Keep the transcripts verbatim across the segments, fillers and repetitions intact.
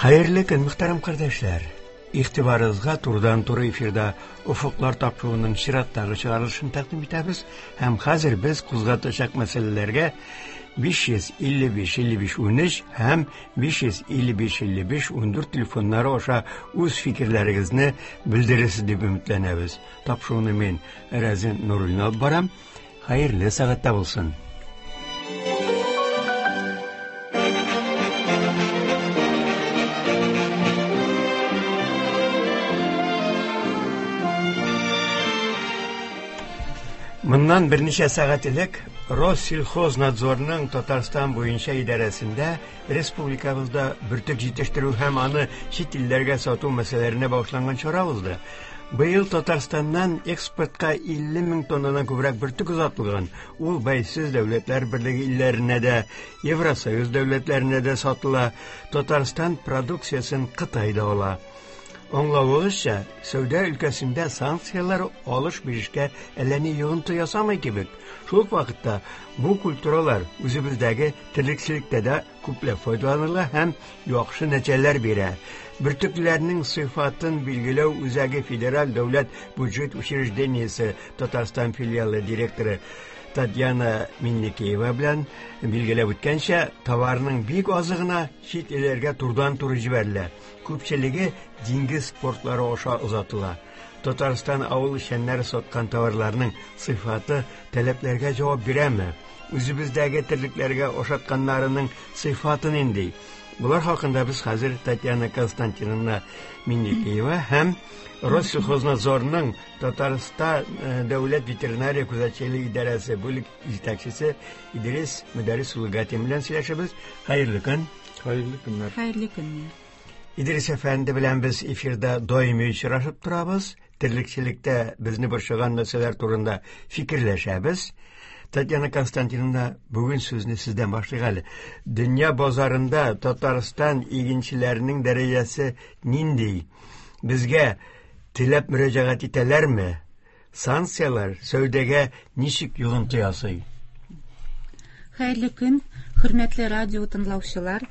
Хәерле көн, мөхтәрәм кардәшләр. Игътибарыгызга турыдан-туры эфирда Офыклар тапшыруының чираттагы чыгарылышын тәкъдим итәбез һәм хәзер без кузгатачак мәсьәләләргә биш йөз илле биш илле биш унөч һәм биш йөз илле биш илле биш ундүрт телефоннары аша үз фикерләрегезне белдерерсез дип өметләнәбез. Тапшыруны мин, Рәзин Нуруллин алып барам. Хәерле сәгатьтә булсын. Моннан берничә сәгать элек Россельхознадзорның Татарстан буенча идарәсендә республикабызда бөртек җитештерү һәм аны чит илләргә сату мәсьәләләренә багышланган чара узды. Быел Татарстаннан экспортка илле мең тоннадан күбрәк бөртек озатылган. Ул Бәйсез Дәүләтләр Берлеге илләренә дә, Евросоюз дәүләтләренә дә сатыла. Татарстан продукциясен Кытай да ала. Аңлавыгызча, сәүдә өлкәсендә санкцияләр алыш-бирешкә әллә ни йогынты ясамый кебек. Шул ук вакытта бу культуралар үзебездәге терлекчелектә дә күпләп файдаланыла һәм яхшы нәтиҗәләр бирә. Бөртекләрнең сыйфатын билгеләү үзәге Федераль дәүләт бюджет учреждениесе Татарстан филиалы директоры Татьяна Минникеева белән билгеләп үткәнчә, товарның бик азы гына чит илләргә турыдан-туры җибәрелә. Күпчелеге диңгез портлары аша озатыла. Татарстан авыл эшчәннәре саткан товарларның сыйфаты таләпләргә җавап бирәме? Үзебездәге терлекләргә ашатканнарының сыйфаты нинди? Булар хакында без хәзер Татьяна Константиновна Минникеева һәм Россельхознадзорның Татарстан дәүләт ветеринария күзәтчелеге идарәсе бүлек җитәкчесе Идрис Мөдәррис улы Гатин белән сөйләшәбез. Хәерле көн. Хәерле көннәр. Хәерле көннәр. Идрис әфәнде белән без эфирда даими очрашып торабыз. Терлекчелектә безне борчыган мәсьәләләр турында фикерләшәбез. Татьяна Константиновна, бүген сүзне сездән башлыйк әле. Дөнья базарында Татарстан игенчеләренең дәрәҗәсе нинди? Безгә теләп мөрәҗәгать итәләрме? Санкцияләр сәүдәгә ничек йогынты ясый? Хәерле көн, хөрмәтле радио тыңлаучылар.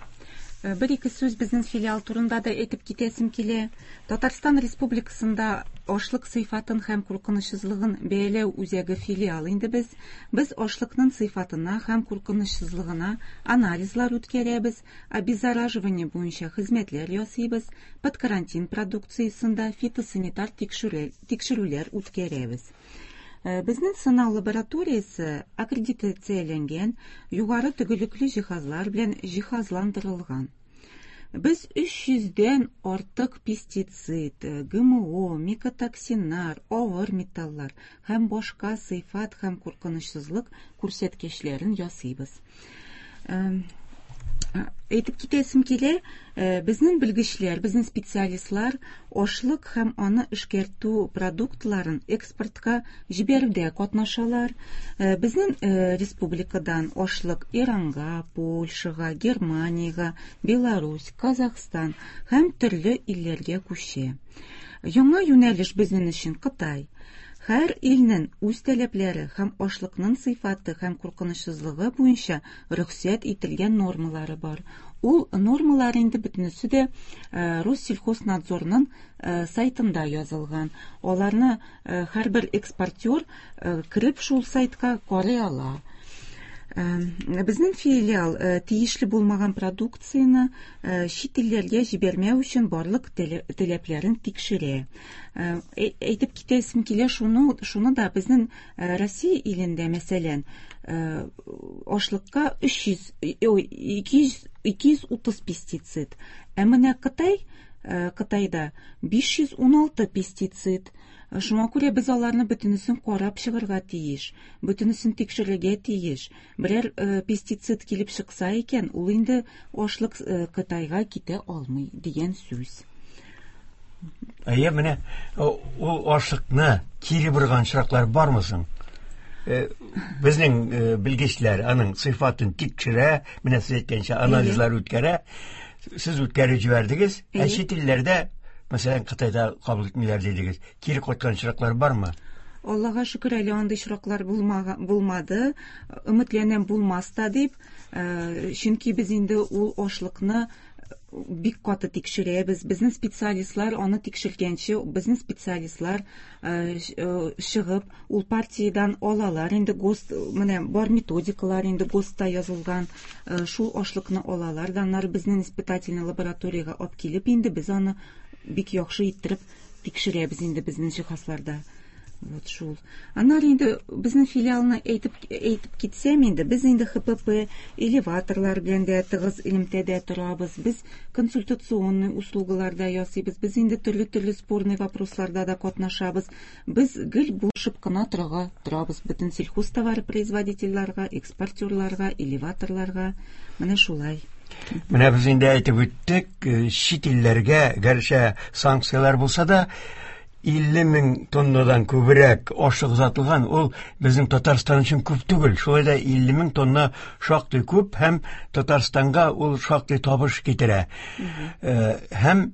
Бер ике сүз безнең филиал турында да әйтеп китәсем килә. Татарстан Республикасында ашлык сыйфатын һәм куркынычсызлыгын бәяләү үзәге филиал инде без. Без ашлыкның сыйфатына һәм куркынычсызлыгына анализлар үткәрәбез, обеззараживание буенча хезмәтләр ясыйбыз, под карантин продукциясендә фитосанитар тикшерүләр үткәрәбез. Безнең сынау лабораториясе аккредитацияләнгән, югары төгәллекле җиһазлар белән җиһазландырылган. Без өч йөздән артык пестицид, ГМО, микотоксиннар, авыр металлар һәм башка сыйфат һәм куркынычсызлык күрсәткечләрен ясыйбыз. Әйтеп китәсем килә, безнең белгечләр, безнең специалистлар ашлык һәм аны эшкәртү продуктларын экспортка җибәрүдә катнашалар. Безнең республикадан ашлык Иранга, Польшага, Германиягә, Беларусь, Казахстан һәм төрле илләргә күчә. Яңа юнәлеш безнең өчен Кытай. Һәр илнең үз таләпләре һәм ашлыкның сыйфаты һәм куркынычсызлыгы буенча рөхсәт ителгән нормалары бар. Ул нормалар инде бөтенесе дә Россельхознадзорның сайтында язылган. Аларны һәрбер экспортер кереп шул сайтка карый ала. Безнең филиал тиешле булмаган продукцияне чит илләргә җибәрмәү өчен барлык таләпләрен тикшерә. Әйтеп китәсем килә шуны, шуны да безнең Россия илендә, мәсәлән, ашлыкка өч йөз, ике йөз, ике йөз утыз пестицид. Ә менә Кытай, Кытайда биш йөз уналты пестицид. Шуңа күрә без аларны бөтенесен карап чыгарга тиеш, бөтенесен тикшерергә тиеш. Берәр пестицид килеп чыкса икән, ул инде ашлык Кытайга китә алмый дигән сүз. Әйе, менә ул ашлыкны кире борган очраклар бармы соң? Безнең белгечләр аның сыйфатын тикшерә, менә сез әйткәнчә анализлар үткәрә. Сез үткәреп җибәрдегез, ә чит илләрдә, мәсәлән, Кытайда кабул итмиләр дидегез. Кире кайткан очраклар бармы? Аллага шөкер, әле андый очраклар булмады. Өметләнәм булмас та дип, чөнки без инде ул ашлыкны Бик каты тикшерәбез. Безнең специалистлар аны тикшергәнче, безнең специалистлар чыгып, ул партиядән алалар. Инде ГОСТ, менә бар методикалар инде ГОСТта язылган, шул ашлыкны алалар. Аннары безнең испытательный лабораториягә алып килеп, инде без аны бик яхшы иттереп тикшерәбез инде безнең җиһазларда. Вот шул. Аннары инде безнең филиалны әйтеп әйтеп китсәм инде, без инде Х П П, элеваторлар белән дә тыгыз элемтәдә торабыз. Без консультационный услугалар да ясыйбыз. Без инде төрле-төрле спорный вопросларда да катнашабыз. Без гел булышып кына торырга торабыз бөтен сельхозтоваропроизводительләргә, экспортерларга, элеваторларга. Менә шулай. Менә без инде әйтеп үттек, чит илләргә, гәрчә санкцияләр булса да, илле мең тоннадан күбрәк ашлык озатылган, ул безнең Татарстан өчен күп түгел. Шулай да илле мең тонна шактый күп һәм Татарстанга ул шактый табыш китерә. Һәм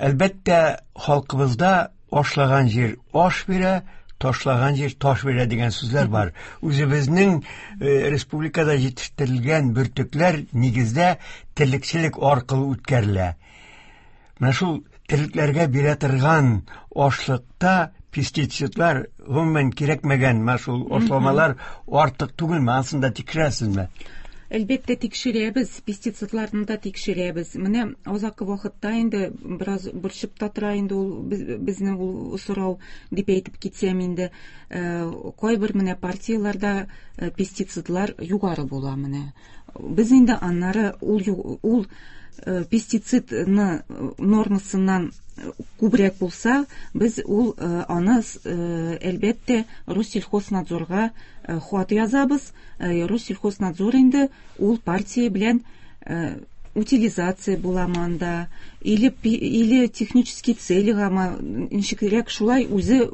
әлбәттә халкыбызда ашлаган җир аш бирә, ташлаган җир таш бирә дигән сүзләр бар. Үзебезнең республикада җитештерелгән бөртекләр нигездә терлекчелек аркылы үткәрелә. Менә шул терлекләргә бирә торган ашлыкта пестицидлар, гомумән кирәкмәгән менә шул ашламалар артык түгелме? Анысын да тикшерәсезме? Әлбәттә тикшерәбез, пестицидларны да тикшерәбез. Менә азакы вакытта инде бераз борчып та тора инде ул безне ул сорау дип әйтеп китсәм инде, кайбер менә партияләрдә пестицидлар югары була менә. Без инде аннары ул ул пестицидны нормасыннан күбрәк булса, без ул аны әлбәттә Россельхознадзорга хат язабыз. Россельхознадзор инде ул партия белән утилизация буламы анда, или или технический целигамы, ничегрәк шулай үзе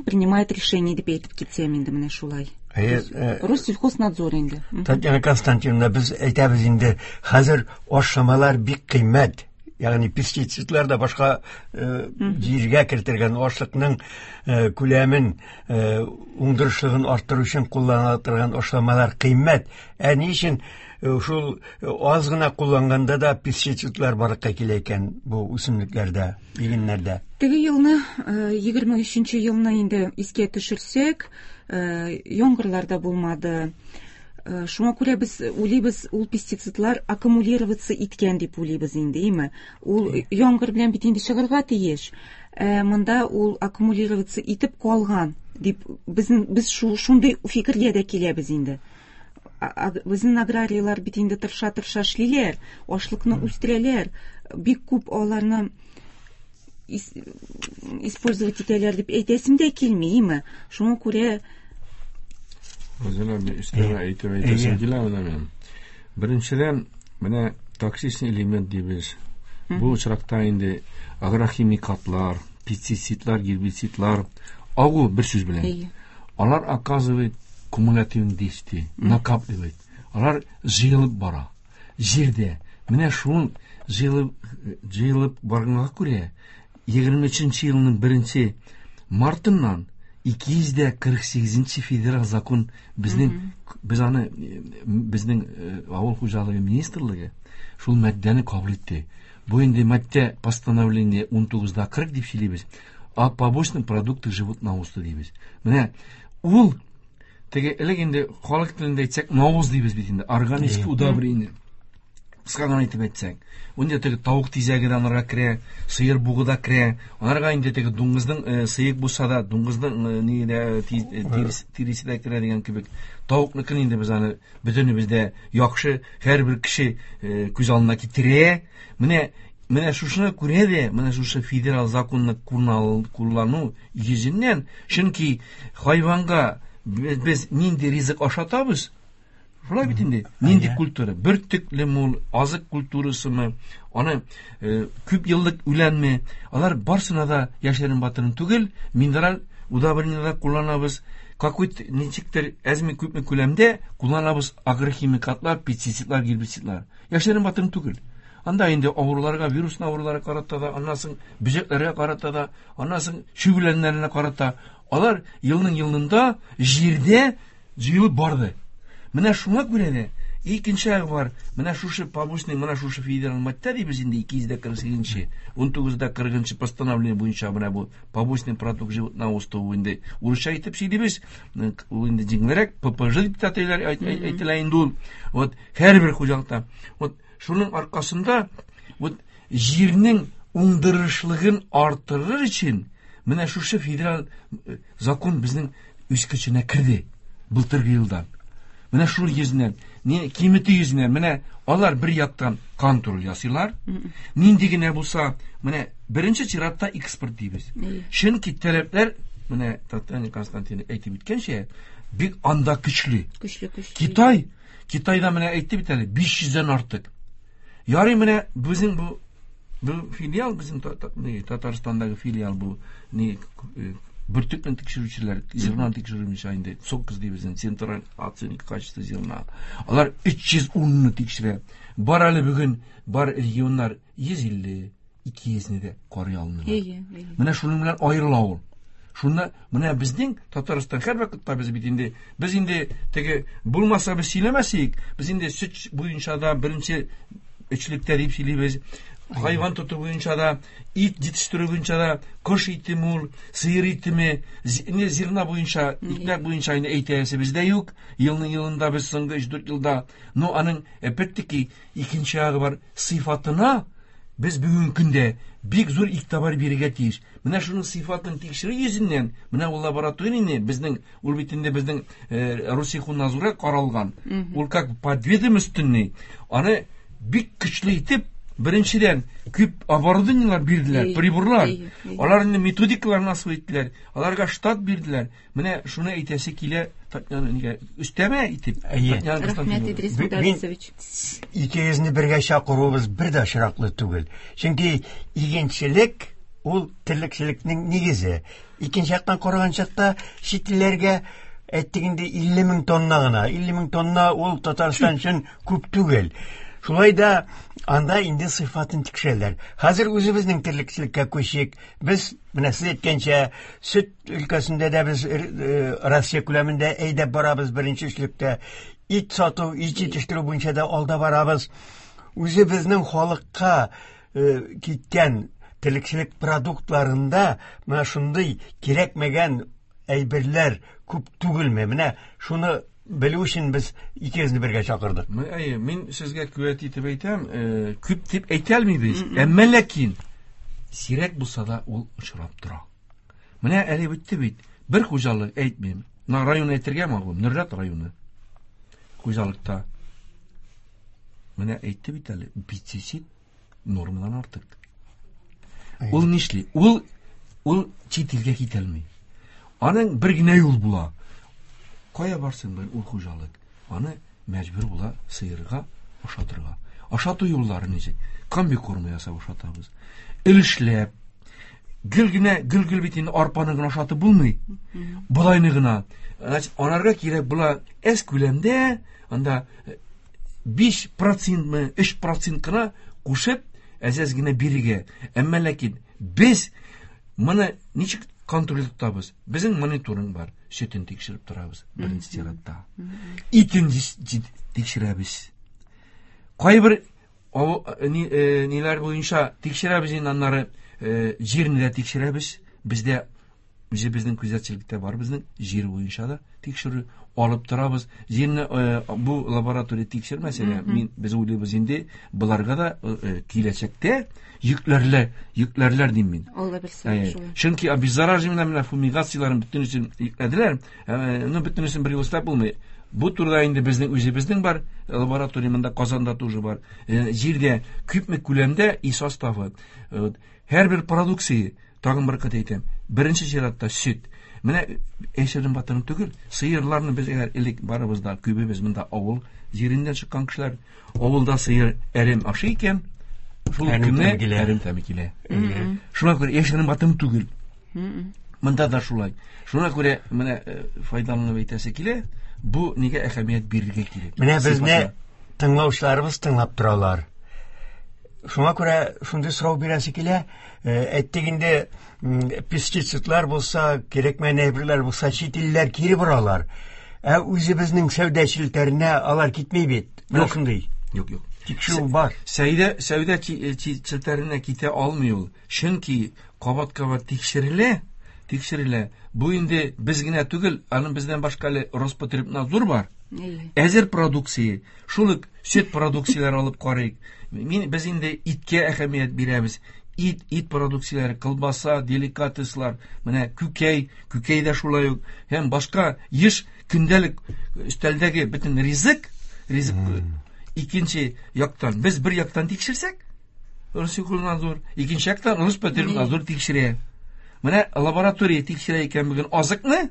принимает решение дип әйтеп китсәм инде, менә шулай. Россельхознадзор инде. Татьяна Константиновна, без әйтәбез инде, хәзер ашламалар бик кыйммәт. Ягъни пестицидлар да башка җиргә кертелгән ашлыкның күләмен, уңдырышлыгын арттыру өчен кулланыла торган ашламалар кыйммәт. Ә ни өчен шул аз гына кулланганда да пестицидлар барлыкка килә икән бу үсемлекләрдә, игеннәрдә? Теге елны, егерме өченче елны инде искә төшерсәк, яңгырлар да булмады. Шуңа күрә без уйлыйбыз, ул пестицидлар аккумулироваться иткән дип уйлыйбыз инде, име? Ул яңгыр белән бит инде чыгарга тиеш. Монда ул аккумулироваться итеп калган дип безнең без шундый фикергә дә киләбез инде. Безнең аграрийлар бит инде тырыша-тырыша эшлиләр, ашлыкны үстерәләр, бик күп аларны использовать итәләр дип әйтәсем дә килми, име? Шуңа күрә Үзенә бер өстәмә әйтеп әйтәсем килә менә минем. Беренчедән, менә токсичный элемент дибез. Бу очракта инде агрохимикатлар, пестицидлар, гербицидлар, агу бер сүз белән. Алар оказывает кумулятивный действие, накапливает. Алар җыелып бара. Җирдә. Менә шул җыелып, җыелып барганга күрә, егерме өченче елның беренче мартыннан ике йөз дә кырык сигезенче федераль закон безнең, без аны, безнең авыл хуҗалыгы министрлыгы шул маддәне кабул итте. Бу инде маддә постановление ун тугыз да кырык дип сөйлибез. О побочных продуктах животноводства дибез. Менә ул теге элек инде халык телендә әйтсәк, навоз дибез бит инде, органический удобрение. Кыска гына әйтеп әйтсәк, инде теге тавык тизәге дә анарга керә, сыер бугы да керә, анарга инде теге дуңгызның, сыек булса да, дуңгызның, ни дә, тиресе дә керә дигән кебек. Тавыкныкын инде без аны бөтенебез дә яхшы, һәрбер кеше күз алдына китерә. Менә, менә шушыны күрә дә, менә шушы федераль законны куллану йөзеннән, чөнки хайванга без нинди ризык ашатабыз, шулай бит инде, нинди культура, бөртеклеме ул, азык культурасымы, аны күп еллык үләнме, алар барысына да яшерен батырын түгел, минераль удобрениеләр кулланабыз, какой-то ничектер әзме күпме күләмдә кулланабыз агрохимикатлар, пестицидлар, гербицидлар. Яшерен батырын түгел. Анда инде авыруларга, вирус авыруларга карата да, аннан соң бөҗәкләргә карата да, аннан соң чүп үләннәренә карата. Алар елның елында җирдә җыелып барды. Менә шуңа күрә дә Икенче ягы бар. Менә шушы побочный, менә шушы федераль маддә дибез инде ике йөз дә кырык сигезенче, ун тугыз да кырыгынчы постановление буенча менә бу побочный продукт животноводства инде урысча әйтеп сөйлибез. Ул инде җиңелрәк П П Ж дип тә әйтелә инде ул. Вот һәрбер хуҗалыкта. Вот шуның аркасында вот җирнең уңдырышлыгын арттырыр өчен менә шушы федераль закон безнең үз көченә керде былтыргы елдан. Менә шул йөзеннән, не киметү йөзеннән, менә алар бер яктан контроль ясыйлар. Нинди генә булса, менә беренче чиратта экспорт дибез. Чөнки таләпләр, менә Татьяна Константиновна әйтеп үткәнчә, бик анда көчле. Көчле, көчле. Китай, Китайда менә әйтте бит әле биш йөздән артык. Ярый менә безнең бу, бу филиал, безнең Татарстандагы филиал бу, ни, бөртекне тикшерүчеләр, зерна тикшерүче инде, ЦОККЗ дибез, Централь оценка качества зерна. Алар өч йөз унны тикшерә. Бар әле бүген, бар регионнар йөз илле, ике йөзне дә карый алмыйлар. Әйе, әйе. Менә шуның белән аерыла ул. Шунда менә безнең Татарстан һәр вакытта без бит инде, без инде теге булмаса без сөйләмәсек, без инде сөт буенча да беренче өчлектә дип сөйлибез. Хайван тоту буенча да, ит җитештерү буенча да, кош итеме ул, сыер итеме, не зерна буенча, икмәк буенча инде әйтәсе бездә юк. Елның елында без соңгы өч-дүрт елда, но аның опять-таки икенче ягы бар, сыйфатына без бүгенге көндә бик зур игътибар бирергә тиеш. Менә шуның сыйфатын тикшерү йөзеннән, менә ул лабораторияне безнең, ул бит инде безнең, э, Россельхознадзорга каралган. Ул как подведомственный, аны бик көчле итеп, беренчедән күп оборудованиелар бирделәр, приборлар. Алар инде методикаларны асып иттеләр, аларга штат бирделәр. Менә шуны әйтәсе килә, Татьяна, нигә өстәмә итеп, Татьяна Рәхмәт, Идрис Мударисович. Икегезне бергә чакыруыбыз бер дә очраклы түгел. Чөнки игенчелек ул терлекчелекнең нигезе. Икенче яктан караган чакта чит илләргә әйттек инде илле мең тонна гына. Илле мең тонна ул Татарстан өчен күп түгел. Шулай да анда инде сыйфатын тикшерәләр. Хәзер үзебезнең терлекчелеккә күчик. Без менә сез әйткәнчә, сөт өлкәсендә дә без, э, Россия күләмендә әйдәп барабыз беренче өчлектә. Ит сату, ит җитештерү буенча да алда барабыз. Үзебезнең халыкка, э, киткән терлекчелек продуктларында менә шундый кирәкмәгән әйберләр күп түгелме? Менә шуны белү өчен без икегезне бергә чакырдык. Мин, әйе, мин сезгә куәт итеп әйтәм, э, күп дип әйтә алмыйбыз. Әмма ләкин сирәк булса да ул очрап тора. Менә әле бетте бит. Бер хуҗалык әйтмим. На район әйтергә мәгълүм, Нурлат районы. Хуҗалыкта. Менә әйтте бит әле, пестицид нормадан артык. Ул нишли? Ул, ул чит илгә китә алмый. Аның бер генә юл була. Кая барсын бер ул хуҗалык? Аны мәҗбүр була сыерга ашатырга. Ашату юллары ничек? Комбикорм ясап ашатабыз. Өлешләп, гел генә, гел-гел бит инде арпаны гына ашатып булмый. Болайны гына. Значит, анарга кирәк була әз күләмдә, анда биш процентмы, өч процент кына кушып, әз-әз генә бирергә. Әмма ләкин без моны ничек контроль тотабыз? Безнең мониторинг бар. Сөтен тикшереп торабыз беренче чиратта. Итен тикшерәбез. Кайбер ау-, ни, э, ниләр буенча тикшерәбез инде, аннары, э, җирне дә тикшерәбез. Бездә үзебезнең күзәтчелектә бар, безнең җир буенча да тикшерү алып торабыз. Җирне, э, бу лаборатория тикшермәсә дә, мин, без уйлыйбыз инде, боларга да, э, э, киләчәктә йөкләрләр, йөкләрләр дим мин. Алла белсә, Әйе. шулай. Чөнки обеззараживание менә фумигацияләрен бөтенесен йөкләделәр. Э, ну, бөтенесен бер юлы эшләп булмый. Бу турыда инде безнең үзебезнең бар, лаборатория монда Казанда тоже бар. Э, җирдә күпме күләмдә и составы. Э, вот, һәрбер продукция, тагын бер кат әйтәм, беренче чиратта сөт. Менә әшерен батырын түгел, сыерларны без әгәр элек барыбыз да, күбебез монда авыл җиреннән чыккан кешеләр, авылда сыер әрем ашый икән, шул Әрем көнне тәме килә. әрем тәме килә. Шуңа күрә әшерен батырын түгел. Монда да шулай. Шуңа күрә менә, э, файдаланып әйтәсе килә, бу нигә әһәмият бирергә кирәк? Менә безне Сыйфатына. тыңлаучыларыбыз тыңлап торалар. Шуңа күрә шундый сорау бирәсе килә. Э, әйттек инде, м, пестицидлар булса, кирәкмәгән әйберләр булса, чит илләр кире боралар. Ә үзебезнең сәүдә челтәренә алар китми бит. Менә шундый. Юк, юк. Тикшерү бар. Сәүдә сәүдә челтәренә китә алмый ул. Чөнки кабат-кабат тикшерелә, тикшерелә. Бу инде без генә түгел, аның бездән башка әле Роспотребнадзор бар. Әзер продукция, шул ук сөт продукцияләре алып карыйк. Мин без инде иткә әһәмият бирәбез. Ит, ит продукцияләре, колбаса, деликатеслар, менә күкәй, күкәй дә шулай ук һәм башка еш көндәлек өстәлдәге бөтен ризык, ризык икенче яктан без бер яктан тикшерсәк, Россельхознадзор, икенче яктан Роспотребнадзор тикшерә. Менә лаборатория тикшерә икән бүген азыкны,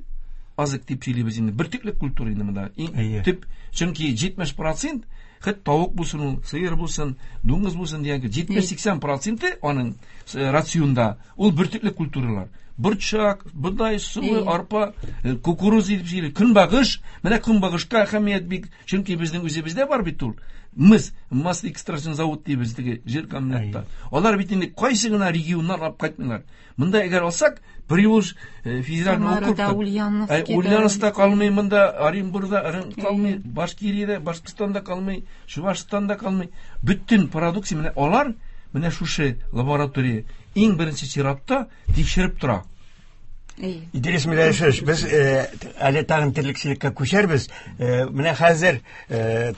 азык дип сөйлибез инде, бөртекле культура инде монда. Иң төп, чөнки җитмеш процент хет тавык булсын ул, сыер булсын, дуңгыз булсын дигән җитмеш-сиксән проценты аның рационда ул бөртекле культуралар. Борчак, бодай, солы, арпа, кукуруз дип сөйли, көнбагыш. Менә көнбагышка әһәмият бик, чөнки безнең үзебездә бар бит ул. Мыз, масло экстракцион завод дибез теге жир комбинатта. Алар бит инде кайсы гына регионнар алып кайтмыйлар. Монда әгәр алсак, Приволж федеральный округта, Ульяновскта калмый, монда Оренбургда калмый, Башкириядә, Башкортстанда калмый, Чувашстанда калмый. Бөтен продукция менә алар менә шушы лаборатория иң беренче чиратта тикшереп тора. Идрис Миләшевич, без әле тагын терлекчелеккә күчәрбез. Менә хәзер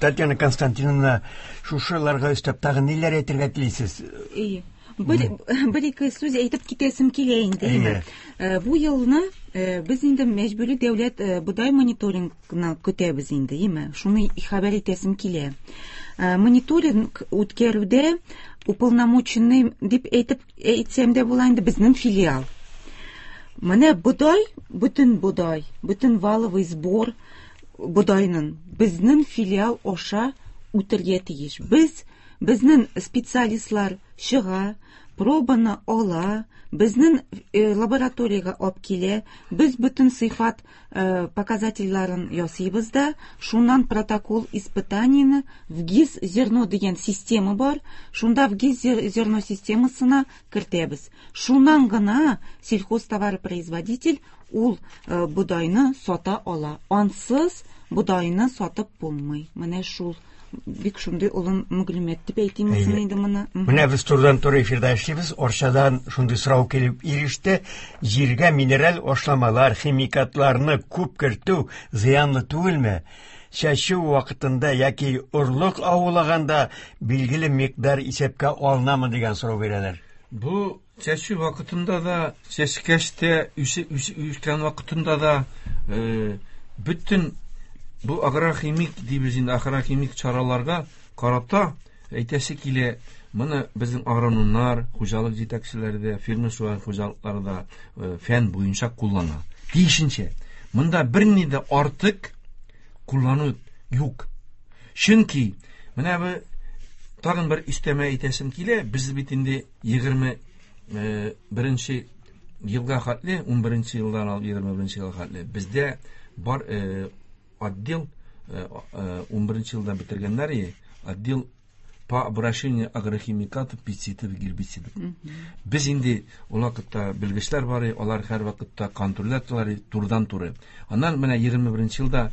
Татьяна Константиновна шушыларга өстәп тагын ниләр әйтергә телисез? Әйе. Бер, бер ике сүз әйтеп китәсем килә инде. Бу елны без инде мәҗбүри дәүләт бодай мониторингына көтәбез инде, әйеме? Шуны хәбәр итәсем килә. Мониторинг үткәрүдә уполномоченный дип әйтеп әйтсәм дә була инде безнең филиал. Менә бодай, бөтен бодай, бөтен валовый сбор бодайның безнең филиал аша үтергә тиеш. Без безнең специалистлар чыга, пробаны ала, безнең лабораториягә алып килә, без бөтен сыйфат показательләрен ясыйбыз да, шуннан протокол испытанияне в ГИС зерно дигән система бар, шунда в ГИС зерно системасына кертәбез. Шуннан гына сельхозтоваропроизводитель ул бодайны сата ала. Ансыз бодайны сатып булмый. Менә шул бик шундый олы мәгълүмат дип әйтим инде моны. Менә без турыдан-туры эфирда эшлибез. Орчадан шундый сорау килеп иреште. Җиргә минераль ашламалар, химикатларны күп кертү зыянлы түгелме? Чәчү вакытында яки орлык аулаганда билгеле микъдар исәпкә алынамы дигән сорау бирәләр. Бу чәчү вакытында да, чәчкәч тә, үскән вакытында да бөтен бу агрохимик дибез инде, агрохимик чараларга карата әйтәсе килә, моны безнең агрономнар, хуҗалык җитәкчеләре дә, фермер хуҗалыклары да фән буенча куллана. Тиешенчә, монда берни дә артык куллану юк. Чөнки менә бу тагын бер өстәмә әйтәсем килә, без бит инде егерме беренче елга хәтле, ун беренче елдан алып егерме беренче елга хәтле бездә бар отдел ун беренче елда бетергәннәр, отдел по обращению агрохимикатов, пестицидов, гербицидов. Без инде ул вакытта белгечләр бар, алар һәр вакытта контрольдә торалар, турыдан-туры. Аннан менә егерме беренче елда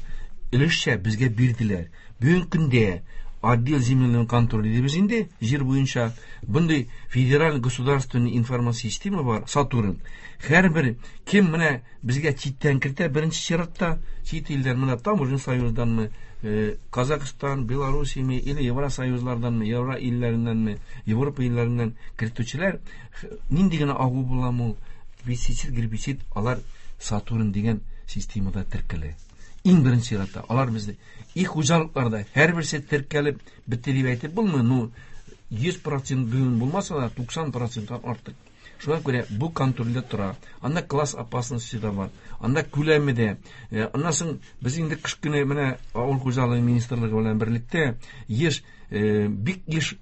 өлешчә безгә бирделәр. Бүгенге көндә отдел земельного контроля дибез инде, җир буенча бундый федераль государственный информация система бар, Сатурн. Һәрбер кем менә безгә читтән кертә, беренче чиратта чит илдән, менә таможня союзданмы, Казахстан, Белоруссияме или Евросоюзларданмы, Евро илләреннәнме, Европа илләреннән кертүчеләр нинди генә агу буламы ул, пестицид, гербицид, алар Сатурн дигән системада теркәлә. Иң беренче чиратта алар безне и хуҗалыкларда һәрберсе теркәлеп бетте дип әйтеп булмый, ну йөз процент бүген булмаса да туксан проценттан артык. Шуңа күрә бу контрольдә тора. Анда класс опасности да бар. Анда күләме дә. Аннан соң без инде кыш көне менә авыл хуҗалыгы министрлыгы белән берлектә еш, бик еш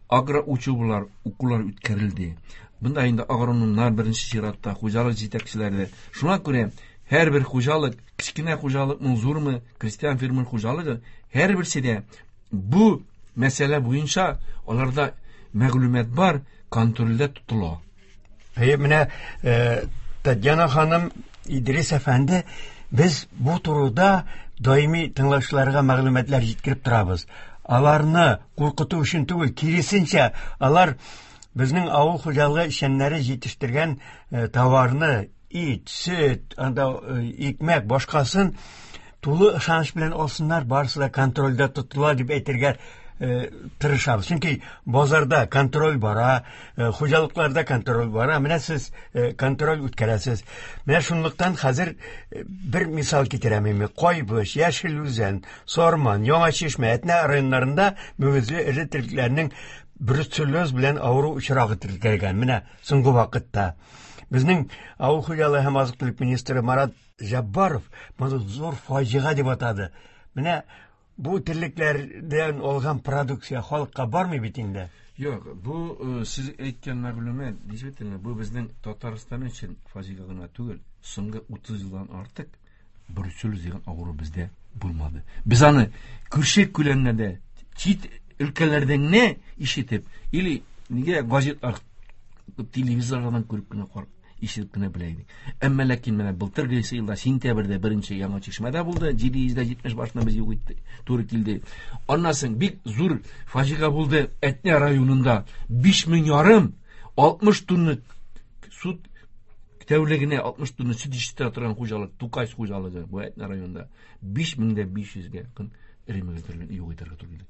агроучебалар, укулар үткәрелде. Бunda инде агрономнар беренче чиратта, хуҗалык җитәкчеләре. Шуңа күрә һәрбер хуҗалык, кечкенә хуҗалыкмы, зурмы, крестьян фермер хуҗалыгы, һәрберсе дә бу мәсьәлә буенча аларда мәгълүмат бар, контрольдә тотыла. Әйе, менә Татьяна ханым, Идрис әфәнде, Без бу турыда даими тыңлаучыларга мәгълүматлар җиткереп торабыз. Аларны куркыту өчен түгел, киресенчә, алар безнең авыл хуҗалыгы эшчәннәре җитештергән товарны, ит, сөт, анда икмәк, башкасын тулы ышаныч белән алсыннар, барысы да контрольдә тотыла дип әйтергә тырышабыз. Чөнки базарда контроль бара, хуҗалыкларда контроль бара. Менә сез контроль үткәрәсез. Менә шунлыктан хәзер бер мисал китерәм инде. Кайбыч, Яшел Үзән, Сарман, Яңа Чишмә, Әтнә районнарында мөгезле эре терлекләрнең бруцеллез белән авыру очрагы теркәлгән. Менә соңгы вакытта безнең авыл хуҗалыгы һәм азык-төлек министры Марат Җаббаров моны зур фаҗига дип атады. Менә бу терлекләрдән алган продукция халыкка бармый бит инде. Юк, бу сез әйткән мәгълүмат, действительно, бу безнең Татарстан өчен фаҗига гына түгел. Соңгы утыз елдан артык бруцеллез дигән авыру бездә булмады. Без аны күрше күләмнәрдә, чит өлкәләрдән генә ишетеп, или нигә газетлар, телевизордан күреп кенә карап, ишетеп кенә белә идек. Әмма ләкин менә былтыргы елда сентябрьдә беренче Яңа Чишмәдә булды, җиде йөз дә җитмеш башына без юк итте, туры килде. Аннан соң бик зур фаҗига булды Әтнә районында, биш мең ярым, алтмыш тонна сөт тәүлегенә алтмыш тонна сөт җитештерә торган хуҗалык, Тукай хуҗалыгы бу Әтнә районында биш мең дә биш йөзгә якын эре мөгезләрне юк итәргә туры килде.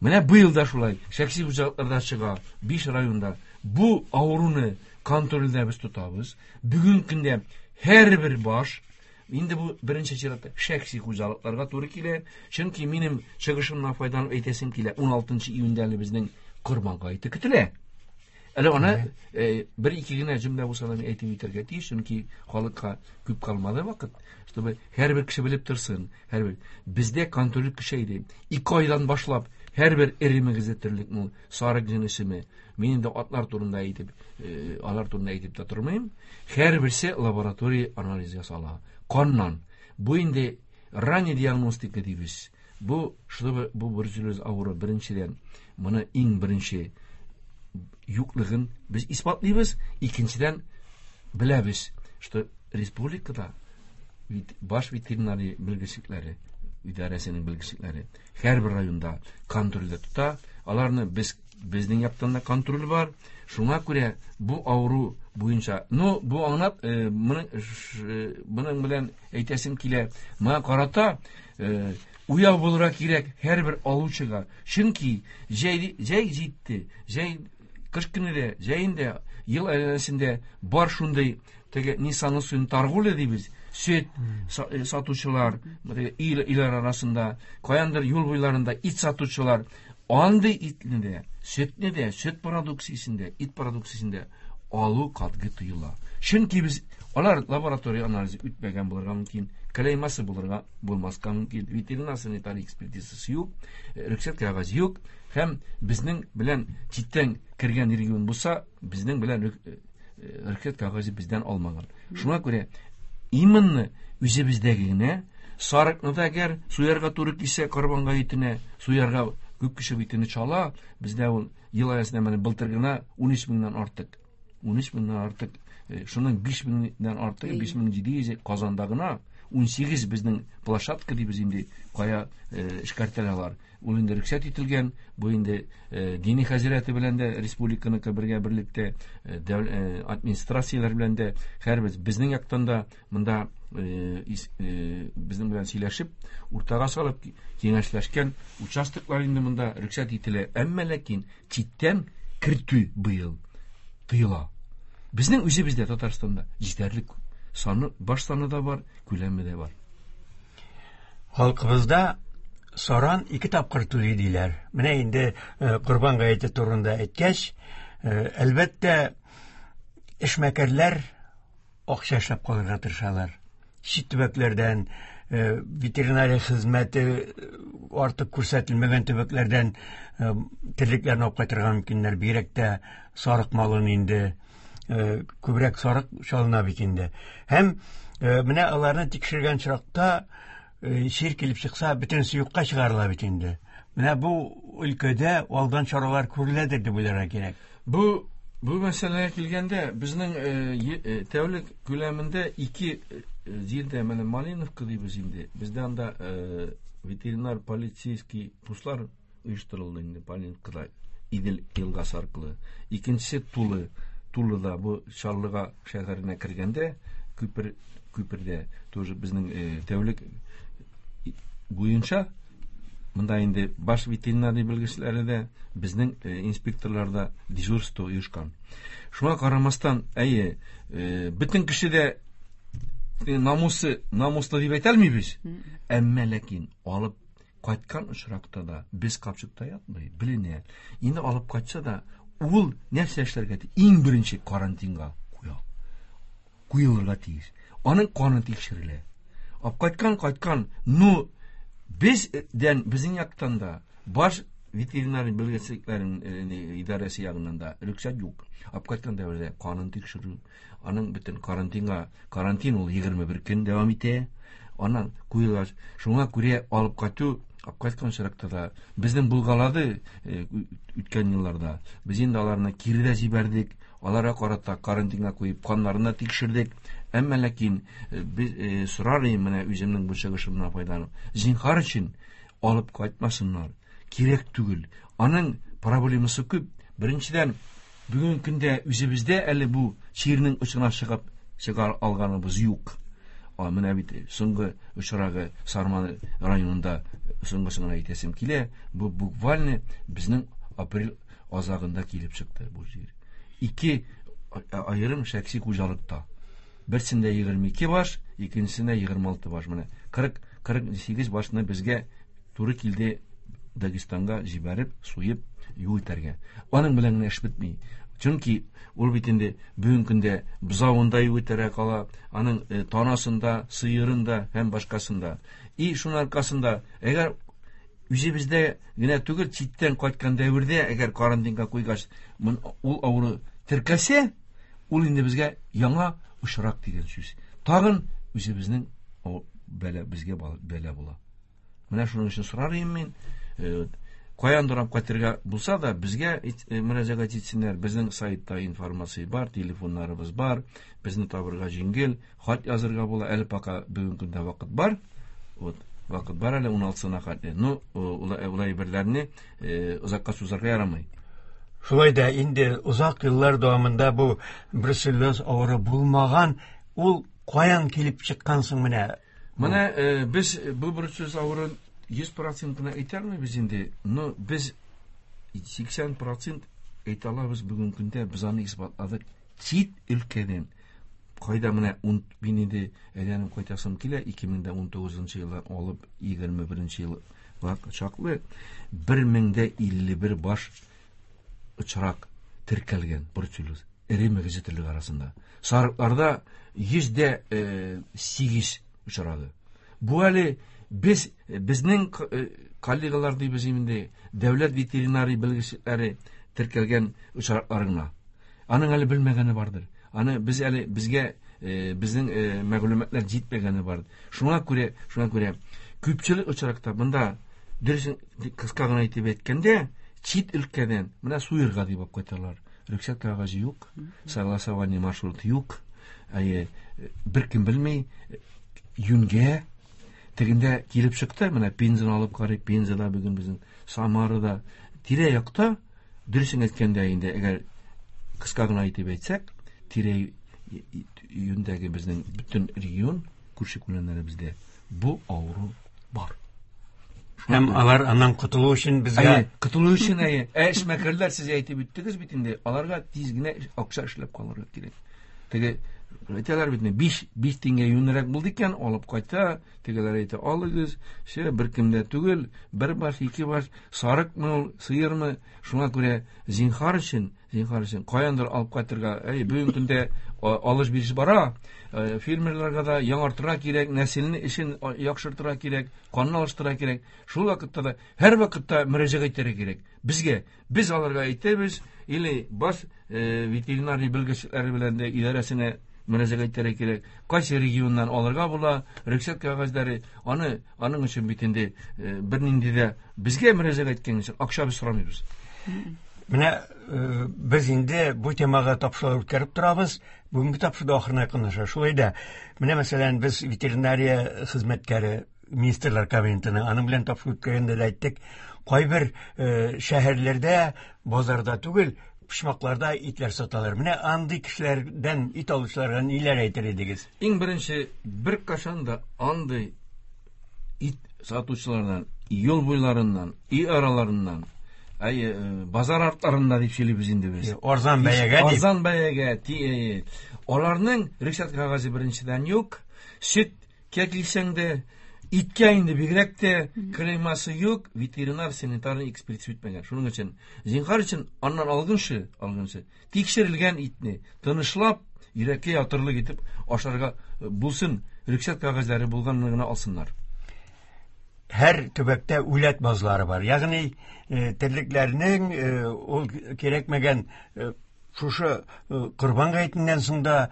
Менә быел да шулай, шәхси хуҗалыкларда чыга, биш районда бу авыруны контрольдә без тотабыз. Бүген көндә һәрбер баш, инде бу беренче чиратта шәхси хуҗалыкларга туры килә. Чөнки минем чыгышымнан файдаланып әйтәсем килә, уналтынчы июньдә әле безнең Корбан гаете көтелә. Әле аны бер-ике генә җөмлә булса да мин әйтеп үтәргә тиеш, чөнки халыкка күп калмады вакыт, чтобы һәрбер кеше белеп торсын, һәрбер бездә контроль көчәйде. Ике айдан башлап һәрбер эре мөгезле терлекне, сарык җенесеме, мин инде атлар турында әйтеп, алар турында әйтеп тә тормыйм. Һәрберсе лаборатория анализ ясала. Каннан. Бу инде ранний диагностика дибез. Бу, чтобы бу бруцеллез авыру беренчедән, моны иң беренче юклыгын без исбатлыйбыз, икенчедән беләбез, что республикада баш ветеринария белгечлекләре, идарәсенең белгечлекләре һәрбер районда контрольдә тота. Аларны без, безнең яктан да контроль бар. Шуңа күрә бу авыру буенча, но бу аңлап, моның, моның белән әйтәсем килә, моңа карата уяу булырга кирәк һәрбер алучыга. Чөнки җәй, җәй җитте, җәй кыш көне дә, җәен дә, ел әйләнәсендә бар шундый теге Ниссаны суын торговля дибез, сөт сатучылар, ил, илләр арасында, каяндыр юл буйларында ит сатучылар, андый итне дә, сөтне дә, сөт продукциясен дә, ит продукциясен дә алу катгый тыела. Чөнки без алар лаборатория анализы үтмәгән булырга мөмкин, клеймасы булырга булмаска мөмкин, ветеринар санитар экспертизасы юк, рөхсәт кәгазе юк, һәм безнең белән читтән кергән регион булса, безнең белән рөхсәт кәгазе бездән алмаган. Шуңа күрә именно үзебездәге генә сарыкны да әгәр суярга туры килсә, корбан гаетенә суярга күп кеше бит инде чала, бездә ул ел аясында менә былтыр гына ун өч меңнән артык. ун өч меңнән артык, шуның биш меңнән артыгы, биш мең җиде йөз Казанда гына, ун сигез безнең площадка дибез инде, кая эшкәртәләр. Ул инде рөхсәт ителгән, бу инде дини хәзрәте белән дә республиканыкы бергә берлектә, администрацияләр белән дә һәрбер безнең яктан да монда безнең белән сөйләшеп, уртага салып киңәшләшкән участоклар инде монда рөхсәт ителә. Әмма ләкин читтән кертү быел тыела. Безнең үзебездә Татарстанда җитәрлек саны, баш саны да бар, күләме дә бар. Халкыбызда саран ике тапкыр түли диләр. Менә инде Корбан гаете турында әйткәч, әлбәттә, эшмәкәрләр акча эшләп калырга тырышалар. Чит төбәкләрдән, ветеринария хезмәте артык күрсәтелмәгән төбәкләрдән терлекләрне алып кайтырга мөмкиннәр. Бигрәк тә сарык малын инде, күбрәк сарык чалына бит инде. Һәм менә аларны тикшергән чакта чир килеп чыкса, бөтенесе юкка чыгарыла бит инде. Менә бу өлкәдә алдан чаралар күреләдер дип уйларга кирәк. Бу, бу мәсьәләгә килгәндә, безнең тәүлек күләмендә ике җирдә менә Малиновка дибез инде. Бездә анда ветеринар полицейский постлар оештырылды инде Малиновкада Идел елгасы аркылы. Икенчесе Тулы. Тулыда бу Чаллыга шәһәренә кергәндә күпер күпердә тоже безнең тәүлек буенча монда инде баш ветеринарий белгечләре дә, безнең инспекторлар да дежурство оешкан. Шуңа карамастан, әйе, бөтен кеше дә намусы, намуслы дип әйтә алмыйбыз. Әмма ләкин алып кайткан очракта да без капчыкта ятмый, беленә. Инде алып кайтса да, ул нәрсә эшләргә тиеш? Иң беренче карантинга куя. Куелырга тиеш. Аның каны тикшерелә. Алып кайткан, кайткан, ну бездән, безнең яктан да баш ветеринар белгечлекләренең идарәсе ягыннан да рөхсәт юк. Алып кайткан дәвердә канын тикшерү, аның бөтен карантинга, карантин ул егерме бер көн дәвам итә. Аннан куелгач, шуңа күрә алып кайту, алып кайткан очракта да безнең булгалады үткән елларда. Без инде аларны кире дә җибәрдек, аларга карата карантинга куеп, каннарны тикшердек. Әмма ләкин без сорар идем менә үземнең бу чыгышымнан файдаланып, зинһар өчен алып кайтмасыннар. Кирәк түгел. Аның проблемасы күп. Беренчедән, бүгенге көндә үзебездә әле бу чирнең очына чыгып чыгар алганыбыз юк. А менә бит соңгы очрагы Сарман районында соңгысын гына әйтәсем килә. Бу буквально безнең апрель азагында килеп чыкты бу җир. Ике аерым шәхси хуҗалыкта. Берсендә егерме ике баш, икенчесендә егерме алты баш. Менә кырык, кырык сигез башны безгә туры килде Дагестанга җибәреп, суеп, юл итәргә. Аның белән генә эш бетми. Чөнки ул бит инде бүгенге көндә бозавында юл итәргә кала, аның танасында, сыерында һәм башкасында. И шуның аркасында, әгәр үзебездә генә түгел, читтән кайткан дәвердә, әгәр карантинга куйгач, ул авыру теркәлсә, ул инде безгә яңа очрак дигән сүз. Тагын үзебезнең бәла, безгә бәла була. Менә шуның өчен сорар идем мин, каяндыр алып кайтырга булса да, безгә мөрәҗәгать итсеннәр. Безнең сайтта информация бар, телефоннарыбыз бар, безне табырга җиңел, хат язырга була. Әле пока бүгенге көндә вакыт бар. Вот, вакыт бар әле уналтысына хәтле. Ну, улай берләрне озакка сузарга ярамый. Шулай да инде озак еллар дәвамында бу бруцеллез авыру булмаган, ул каян килеп чыккан соң менә? Менә без бу бруцеллез авыруын йөз процентына әйтә алмыйбыз инде, но без сиксән процент әйтә алабыз бүгенге көндә, без аны исбатладык. Чит өлкәдән кайда менә мин инде әйләнеп кайтасым килә, ике мең дә унтугызынчы елдан алып егерме беренче елга чаклы бер мең дә илле бер баш очрак теркәлгән бруцеллез эре мөгезле терлек арасында. Сарыкларда йөз дә сигез очрады. Бу әле без, безнең коллегалар дибез инде, дәүләт ветеринарий белгечләре теркәлгән очраклар гына. Аның әле белмәгәне бардыр. Аны без әле безгә, безнең мәгълүматлар җитмәгәне бар. Шуңа күрә, шуңа күрә күпчелек очракта монда дөресен кыска гына әйтеп әйткәндә, чит өлкәдән менә суерга дип алып кайталар. Рөхсәт кәгазе юк, согласование маршрут юк. Әйе, беркем белми, юнгә тегендә килеп чыкты, менә Пензаны алып карыйк, Пензада бүген безнең Самарада тирә-якта, дөресен әйткәндә инде, әгәр кыска гына әйтеп әйтсәк, тирә-юньдәге безнең бөтен регион, күрше күләмнәребездә бу авыру бар. Һәм алар аннан котылу өчен безгә Әйе, котылу өчен, әйе. Ә эшмәкәрләр, сез әйтеп үттегез бит инде, аларга тиз генә акча эшләп калырга кирәк. Теге әйтәләр бит инде, биш, биш тиңгә юньрәк булды икән, алып кайта, тегеләр әйтә, алыгыз, ше, бер кемдә түгел, бер баш, ике баш, сарыкмы ул, сыермы, шуңа күрә зинһар өчен, зинһар өчен каяндыр алып кайтырга, әй, бүгенге көндә алыш-биреш бара, фермерларга да яңартырга кирәк, нәселне эшен яхшыртырга кирәк, канны алыштырырга кирәк. Шул вакытта да һәр вакытта мөрәҗәгать итәргә кирәк. Безгә, без аларга әйтәбез, или баш ветеринарий белгечләре белән дә идарәсенә мөрәҗәгать итәргә кирәк. Кайсы регионнан алырга була, рөхсәт кәгазьләре, аны, аның өчен бит инде бернинди дә безгә мөрәҗәгать иткән өчен акча без сорамыйбыз. Менә без инде бу темага тапшырулар үткәреп торабыз. Бүгенге тапшыру ахырына якынлаша. Шулай да, менә мәсәлән, без ветеринария хезмәткәре Министрлар Кабинетының аның белән тапшыру үткәргәндә дә әйттек, кайбер шәһәрләрдә базарда түгел, почмакларда итләр саталар. Менә андый кешеләрдән ит алучыларга ниләр әйтер идегез? Иң беренче, бер кашан да андый ит сатучылардан, юл буйларыннан, өй араларыннан, әй, базар артларында дип сөйлибез инде без. Арзан бәягә дип. Арзан бәягә. Аларның рөхсәт кәгазе беренчедән юк. Сөткә килсәң дә, иткә инде бигрәк тә клеймасы юк, ветеринар санитарный экспертиза үтмәгән. Шуның өчен, зинһар өчен аннан алгынчы, алгынчы тикшерелгән итне тынычлап, йөрәккә ятырлык итеп ашарга булсын, рөхсәт кәгазьләре булганны гына алсыннар. Һәр төбәктә үләт базлары бар. Ягъни терлекләрнең ул кирәкмәгән шушы корбан гаетеннән соң да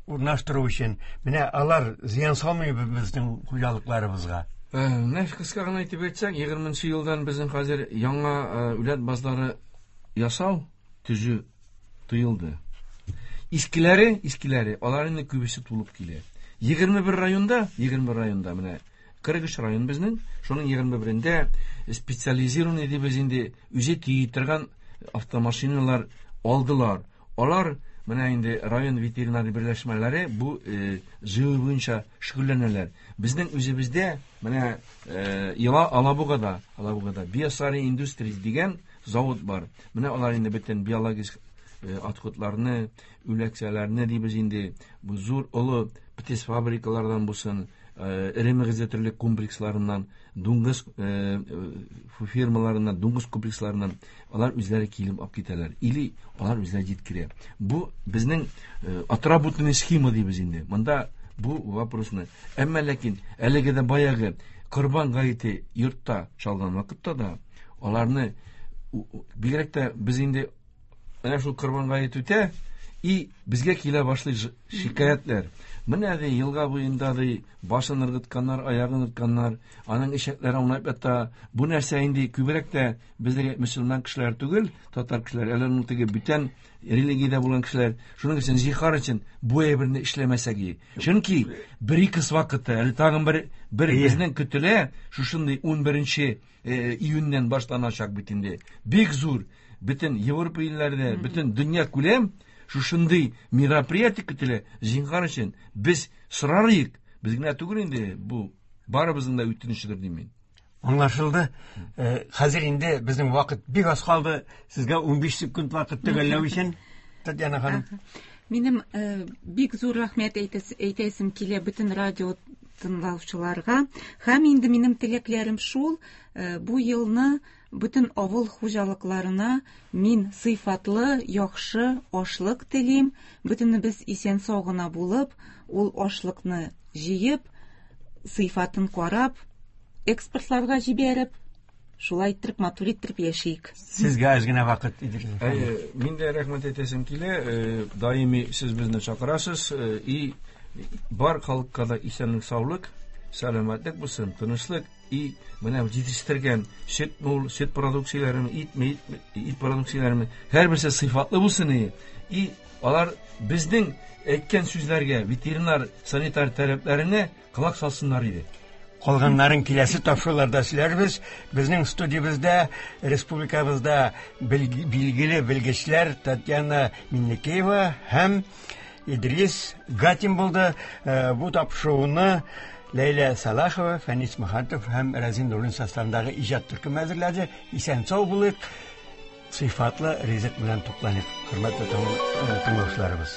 урнаштыру өчен менә алар зыян салмый безнең хуҗалыкларыбызга. Менә кыска гына әйтеп әйтсәк, егерменче елдан безнең хәзер яңа үләт базлары ясау төзү тыелды. Искеләре, искеләре, алар инде күбесе тулып килә. Егерме бер районда, егерме бер районда менә кырык өч район безнең, шуның егерме берендә специализированный дибез инде үзе тии торган автомашиналар алдылар. Алар менә инде район ветеринар берләшмәләре бу җыю буенча шөгыльләнәләр. Безнең үзебездә менә Алабугада, Алабугада Биосари Индустрис дигән завод бар. Менә алар инде бөтен биологик отходларны, үләксәләрне дибез инде бу зур олы птиц фабрикалардан булсын, эре мөгезле терлек комплексларыннан, дуңгыз фермаларыннан, дуңгыз комплексларыннан алар үзләре килеп алып китәләр. Или алар үзләре җиткерә. Бу безнең отработанный схема дибез инде. Монда бу вопросны. Әмма ләкин әлеге дә баягы корбан гаете йортта чалган вакытта да аларны бигрәк тә без инде менә шул корбан гаете үтә, и безгә килә башлый шикаятьләр. Менә ди елга буенда ди башын ыргытканнар, аягын ыргытканнар, аның ишәкләре аунап ята. Бу нәрсә инде күбрәк тә бездәге мөселман кешеләр түгел, татар кешеләр, әле аның теге бүтән религиядә булган кешеләр. Шуның өчен зихар өчен бу әйберне эшләмәсәк и. Чөнки бер-ике вакытта әле тагын бер бер безнең көтелә шушындый унберенче июньнән башланачак бит инде. Бик зур бөтен Европа илләрендә, бөтен дөнья күләм шушындый мероприятие көтелә. Зинһар өчен без сорарыйк, без генә түгел инде, бу барыбызның да үтенечедер дим мин. Аңлашылды. Хәзер инде безнең вакыт бик аз калды. Сезгә унбиш секунд вакыт төгәлләү өчен, Татьяна ханым. Минем бик зур рәхмәт әйтәсем килә бөтен радио тыңлаучыларга. Һәм инде минем теләкләрем шул, бу елны бөтен авыл хуҗалыкларына мин сыйфатлы, яхшы ашлык телим. Бөтенебез исән-сау гына булып, ул ашлыкны җыеп, сыйфатын карап, экспортларга җибәреп, шулай иттереп, матур иттереп яшик. Сезгә аз генә вакыт иде. Әйе, мин дә рәхмәт әйтәсем килә. Даими сез безне чакырасыз. И бар халыкка да исәнлек, саулык, сәламәтлек булсын, тынычлык. И менә җитештергән сөт мул, сөт продукцияләрен, ит, ит, ит продукцияләрен һәрберсе сыйфатлы булсын. И алар безнең әйткән сүзләргә, ветеринар санитар таләпләренә колак салсыннар иде. Калганнарын киләсе тапшыруларда сөйләрбез. Безнең студиябездә республикабызда билгеле белгечләр Татьяна Миннекеева һәм Идрис Гатин булды. Бу тапшыруны Ләйлә Салахова, Фәнис Мөхәммәтов һәм Рәзин Нуруллин составындагы иҗат төркеме әзерләде. Исән-сау булыйк, сыйфатлы ризык белән тукланыйк, хөрмәтле тыңлаучыларыбыз.